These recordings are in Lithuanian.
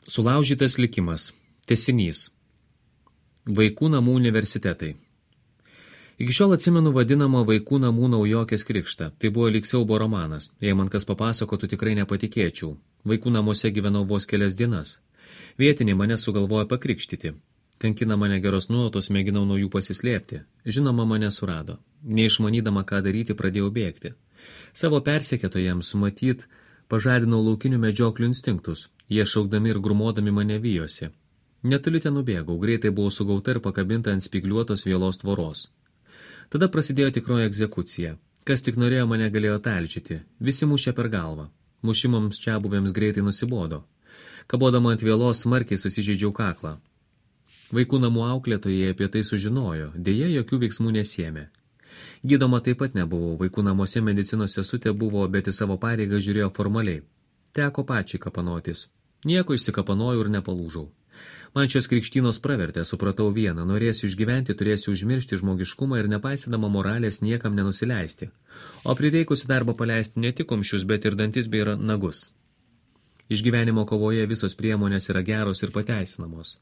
Sulaužytas likimas. Tęsinys. Vaikų namų universitetai. Iki šiol atsimenu vadinamą vaikų namų naujokės krikštą. Tai buvo lyg siaubo romanas. Jei man kas papasakotų, tikrai nepatikėčiau. Vaikų namuose gyvenau vos kelias dienas. Vietiniai mane sugalvojo pakrikštyti. Kankina mane geros nuotos, mėginau nuo jų pasislėpti. Žinoma, mane surado. Neišmanydama, ką daryti, pradėjau bėgti. Savo persekėtojams, matyt, pažadinau laukinių medžioklių instinktus. Jie šaukdami ir grumodami mane vijosi. Netoli ten nubėgau, greitai buvau sugauta ir pakabinta ant spygliuotos vielos tvoros. Tada prasidėjo tikroji egzekucija. Kas tik norėjo, mane galėjo talžyti. Visi mušė per galvą. Mušimams čiabuvėms greitai nusibodo. Kabodama ant vielos smarkiai susižeidžiau kaklą. Vaikų namų auklėtojai apie tai sužinojo, dėja jokių veiksmų nesėmė. Gydoma taip pat nebuvau, vaikų namuose medicinos sesutė buvo, bet į savo pareigą žiūrėjo formaliai. Teko pačiai kapanotis. Nieko išsikapanojau ir nepalūžau. Man šios krikštynos pravertė, supratau vieną, norėsiu išgyventi, turėsiu užmiršti žmogiškumą ir nepaisydama moralės niekam nenusileisti. O prireikusi darbą paleisti ne tik kumščius, bet ir dantis bei nagus. Išgyvenimo kovoje visos priemonės yra geros ir pateisinamos.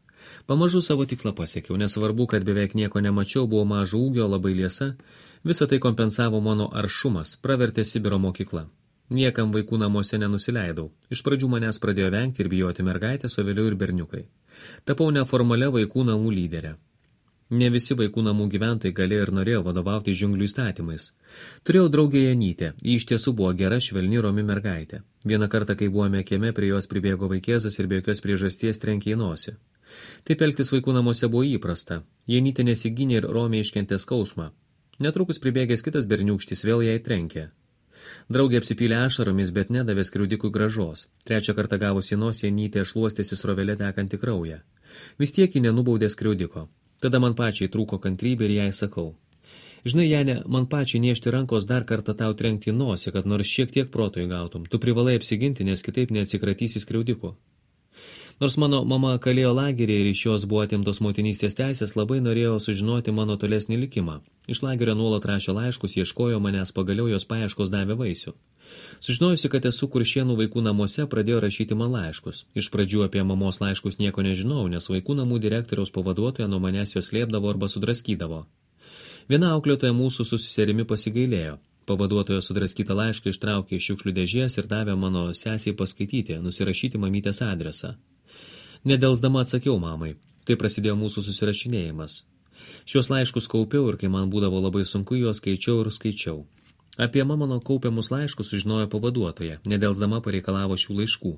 Pamažu savo tikslą pasiekiau, nesvarbu, kad beveik nieko nemačiau, buvo mažo ūgio, labai liesa, visą tai kompensavo mano aršumas, pravertė Sibiro mokykla. Niekam vaikų namuose nenusileidau. Iš pradžių manęs pradėjo vengti ir bijoti mergaitės, o vėliau ir berniukai. Tapau neformalia vaikų namų lyderė. Ne visi vaikų namų gyventojai galėjo ir norėjo vadovauti džiunglių įstatymais. Turėjau draugę Janytę, ji iš tiesų buvo gera, švelni, romi mergaitė. Vieną kartą, kai buvome kieme, prie jos pribėgo vaikėzas ir be jokios priežasties trenkė į nosį. Taip elgtis vaikų namuose buvo įprasta. Janytė nesigynė ir romiai iškentė skausmą. Netrukus pribėgęs kitas berniūkštis vėl jai trenkė. Draugė apsipylė ašaromis, bet nedavė skriaudikui gražos. Trečią kartą gavusi nosį, Janytė šluostėsi srovelė tekantį kraują. Vis tiek ji nenubaudė skriaudiko. Tada man pačiai trūko kantrybė ir jai sakau. Žinai, Janė, man pačiai niešti rankos dar kartą tau trenkti į nosį, kad nors šiek tiek proto įgautum. Tu privalai apsiginti, nes kitaip neatsikratysi skriaudiko. Nors mano mama kalėjo lagerį ir iš jos buvo atimtos motinystės teisės, labai norėjo sužinoti mano tolesnį likimą. Iš lagerio nuolat rašė laiškus, ieškojo manęs, pagaliau jos paieškos davė vaisių. Sužinojusi, kad esu Kuršėnų vaikų namuose, pradėjo rašyti man laiškus. Iš pradžių apie mamos laiškus nieko nežinau, nes vaikų namų direktoriaus pavaduotoja nuo manęs jos slėpdavo arba sudraskydavo. Viena auklėtoja mūsų su seserimi pasigailėjo. Pavaduotoja sudraskytą laišką ištraukė iš šiukšlių dėžės ir davė mano sesiai paskaityti, nusirašyti mamytės adresą. Nedelsdama atsakiau mamai. Tai prasidėjo mūsų susirašinėjimas. Šios laiškus kaupiau ir kai man būdavo labai sunku, juos skaičiau ir skaičiau. Apie mano kaupiamus laiškus sužinojo pavaduotoja. Nedelsdama pareikalavo šių laiškų.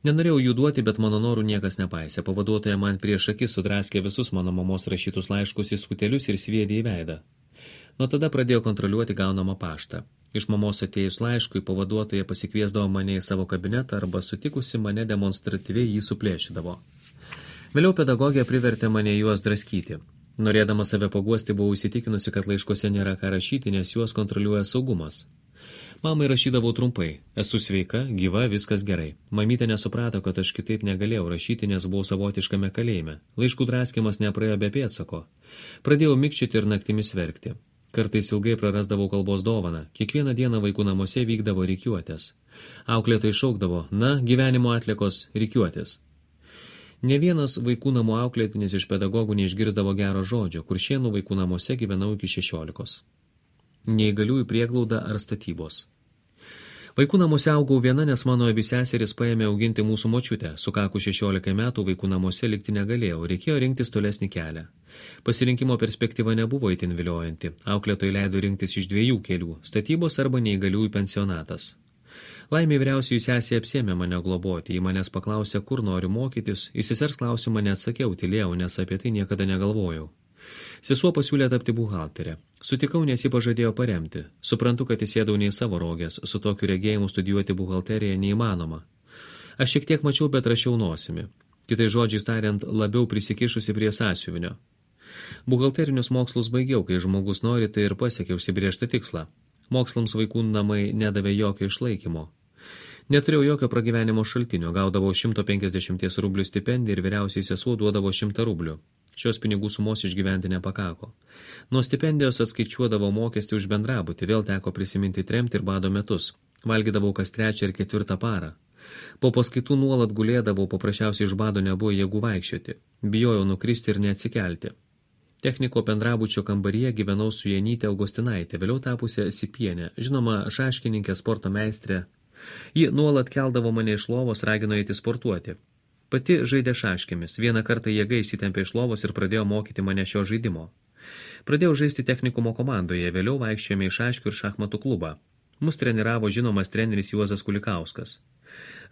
Nenorėjau jų duoti, bet mano norų niekas nepaisė. Pavaduotoja man prieš akis sudraskė visus mano mamos rašytus laiškus į skutelius ir sviedė į veidą. Nuo tada pradėjo kontroliuoti gaunamą paštą. Iš mamos atėjus laiškui, pavaduotoja pasikviesdavo mane į savo kabinetą arba sutikusi mane demonstratyviai jį suplėšydavo. Vėliau pedagogė privertė mane juos draskyti. Norėdama save paguosti, buvau įsitikinusi, kad laiškuose nėra ką rašyti, nes juos kontroliuoja saugumas. Mamai rašydavau trumpai. Esu sveika, gyva, viskas gerai. Mamytė nesuprato, kad aš kitaip negalėjau rašyti, nes buvau savotiškame kalėjime. Laiškų draskimas nepraėjo be pėdsako. Pradėjau mikčioti ir naktimis verkti. Kartais ilgai prarasdavau kalbos dovaną. Kiekvieną dieną vaikų namuose vykdavo rikiuotės. Auklėtai šaukdavo, na, gyvenimo atliekos rikiuotės. Ne vienas vaikų namų auklėtinis iš pedagogų neišgirsdavo gero žodžio, Kuršėnų vaikų namuose gyvenau iki 16. Neįgaliųjų prieglauda ar statybos. Vaikų namuose augau viena, nes mano abi seserys paėmė auginti mūsų močiutę. Sukakus 16 metų vaikų namuose likti negalėjau, reikėjo rinktis tolesnį kelią. Pasirinkimo perspektyva nebuvo itin viliojanti. Auklėtojai leido rinktis iš 2 kelių – statybos arba neįgaliųjų pensionatas. Laimė vyriausiųjų sesė apsėmė mane globoti, ji manęs paklausė, kur noriu mokytis, į sesers klausimą neatsakiau, tylėjau, nes apie tai niekada negalvojau. Sesuo pasiūlė tapti buhalterę. Sutikau, nes ji pažadėjo paremti. Suprantu, kad įsėdau ne į savo rogės, su tokiu regėjimu studijuoti buhalteriją neįmanoma. Aš šiek tiek mačiau, bet rašiau nosimi. Kitai žodžiais tariant, labiau prisikišusi prie sąsiuvinio. Buhalterinius mokslus baigiau, kai žmogus nori, tai ir pasiekė užsibrėžtą tikslą. Mokslams vaikų namai nedavė jokio išlaikymo. Neturėjau jokio pragyvenimo šaltinio, gaudavau 150 rublių stipendiją ir vyriausiai sesuo duodavo 100 rublių. Šios pinigų sumos išgyventi nepakako. Nuo stipendijos atskaičiuodavo mokestį už bendrabutį, vėl teko prisiminti tremtį ir bado metus. Valgydavau kas 3 ir 4 parą. Po paskaitų nuolat gulėdavau, paprasčiausiai iš bado nebuvo jėgų vaikščioti. Bijojau nukristi ir neatsikelti. Techniko bendrabučio kambaryje gyvenau su Janyte Augustinaitė, vėliau tapusią Sipienė, žinoma, šaškininkė, sporto meistrė. Ji nuolat keldavo mane iš lovos, ragino eiti sportuoti. Pati žaidė šaškėmis. Vieną kartą jėga įsitempė iš lovos ir pradėjo mokyti mane šio žaidimo. Pradėjau žaisti technikumo komandoje, vėliau vaikščiojome į šaškių ir šachmatų klubą. Mus treniravo žinomas treneris Juozas Kulikauskas.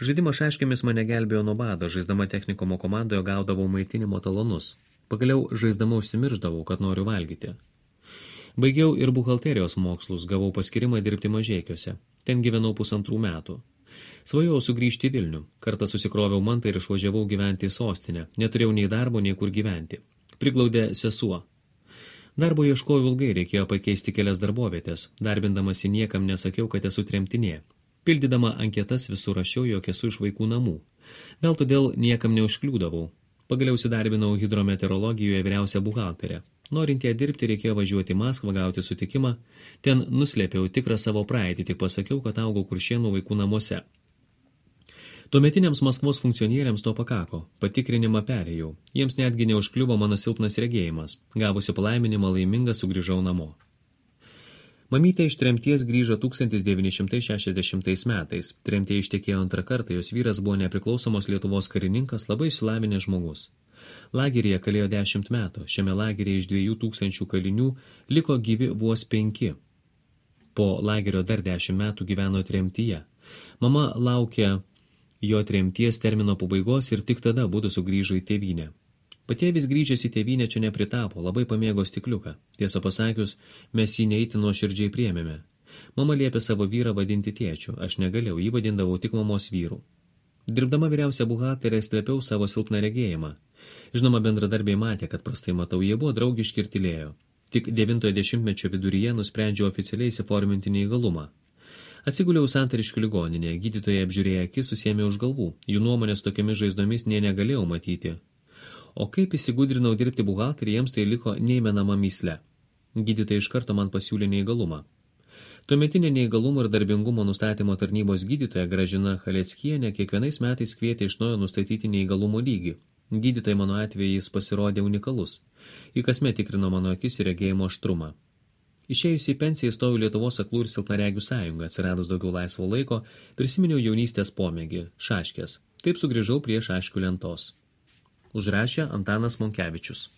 Žaidimas šaškėmis mane gelbėjo nuo bado, žaisdama technikumo komandoje gaudavau maitinimo talonus. Pagaliau žaisdama užsimirždavau, kad noriu valgyti. Baigiau ir buhalterijos mokslus, gavau paskirimą dirbti Mažeikiuose. Ten gyvenau 1,5 metų. Svajojau sugrįžti į Vilnių. Kartą susikroviau mantą ir išvažiavau gyventi į sostinę. Neturėjau nei darbo, nei kur gyventi. Priglaudė sesuo. Darbo ieškojau ilgai, reikėjo pakeisti kelias darbovietės. Darbindamasi niekam nesakiau, kad esu tremtinė. Pildydama anketas visur rašiau, jog esu iš vaikų namų. Gal todėl niekam neužkliūdavau. Pagaliau įsidarbinau hidrometeorologijoje vyriausią buhalterę. Norint ją dirbti, reikėjo važiuoti į Maskvą, gauti sutikimą. Ten nuslėpiau tikrą savo praeitį, tik pasakiau, kad augau Kuršėnų vaikų namuose. Tuometiniams Maskvos funkcionieriams to pakako. Patikrinimą perėjau. Jiems netgi neužkliuvo mano silpnas regėjimas. Gavusi palaiminimą laiminga sugrįžau namo. Mamytė iš tremties grįžo 1960 metais. Tremtė ištekėjo antrą kartą, jos vyras buvo nepriklausomos Lietuvos karininkas, labai išsilavinęs žmogus. Lageryje kalėjo 10 metų. Šiame lageryje iš 2000 kalinių liko gyvi vos 5. Po lagerio dar 10 metų gyveno tremtyje. Mama laukė jo tremties termino pabaigos ir tik tada būdu sugrįžo į tėvynę. Patėvis grįžęs į tėvynę čia nepritapo, labai pamėgo stikliuką. Tiesą pasakius, mes jį neįti nuoširdžiai priėmėme. Mama liepė savo vyrą vadinti tėčiu, aš negalėjau, jį vadindavau tik mamos vyru. Dirbdama vyriausia buhalterė slėpiau savo silpną regėjimą. Žinoma, bendradarbiai matė, kad prastai matau, jie buvo draugiški ir tylėjo. Tik 90-mečio viduryje nusprendžiau oficialiai įsiforminti neįgalumą. Atsiguliau Santariškių ligoninėje, gydytojai apžiūrėję akis susėmė už galvų, jų nuomonės tokiamis žaizdomis negalėjau matyti. O kaip įsigudrinau dirbti buhalterį, jiems tai liko neįmenama mįsle. Gydytojai iš karto man pasiūlė neįgalumą. Tuometinė neįgalumo ir darbingumo nustatymo tarnybos gydytoja Gražina Chaleckienė kiekvienais metais kvietė iš naujo nustatyti neįgalumo lygį. Gydytojai mano atvejais pasirodė unikalus. Į kasmet tikrino mano akis ir regėjimo aštrumą. Išėjus į pensiją įstojau Lietuvos aklų ir silpnaregių sąjungą, atsiradus daugiau laisvo laiko, prisiminiau jaunystės pomėgį – šaškės. Taip sugrįžau prie šaškių lentos. Užrašė Antanas Monkevičius.